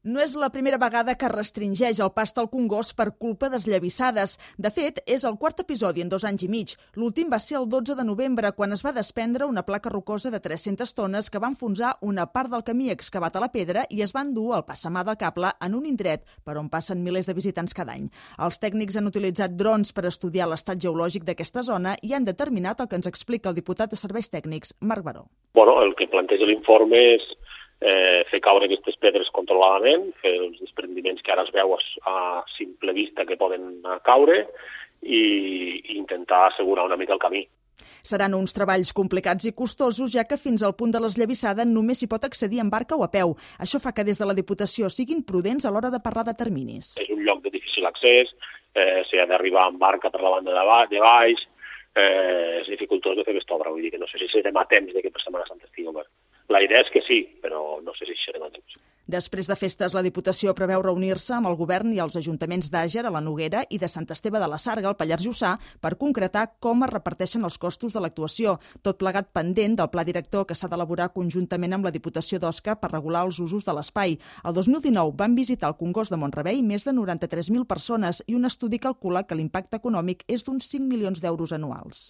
No és la primera vegada que restringeix el pas del Congost per culpa d'esllavissades. De fet, és el quart episodi en 2 anys i mig. L'últim va ser el 12 de novembre, quan es va desprendre una placa rocosa de 300 tones que va enfonsar una part del camí excavat a la pedra i es va endur el passamà del cable en un indret per on passen milers de visitants cada any. Els tècnics han utilitzat drons per estudiar l'estat geològic d'aquesta zona i han determinat el que ens explica el diputat de Serveis Tècnics, Marc Baró. El que planteja l'informe és fer caure aquestes pedres controladament, fer els desprendiments que ara es veu a simple vista que poden caure i intentar assegurar una mica el camí. Seran uns treballs complicats i costosos, ja que fins al punt de l'esllavissada només s'hi pot accedir en barca o a peu. Això fa que des de la Diputació siguin prudents a l'hora de parlar de terminis. És un lloc de difícil accés, s'hi ha d'arribar en barca per la banda de baix, és dificultós de fer aquesta obra, vull dir que no sé si serem a temps de que per Setmana Santa estigui obert. La idea és que sí, però no sé si serem a temps. Després de festes, la Diputació preveu reunir-se amb el govern i els ajuntaments d'Àger, a la Noguera, i de Sant Esteve de la Sarga, al Pallars Jussà, per concretar com es reparteixen els costos de l'actuació, tot plegat pendent del pla director que s'ha d'elaborar conjuntament amb la Diputació d'Osca per regular els usos de l'espai. El 2019 van visitar el Congost de Mont-rebei més de 93.000 persones i un estudi calcula que l'impacte econòmic és d'uns 5 milions d'euros anuals.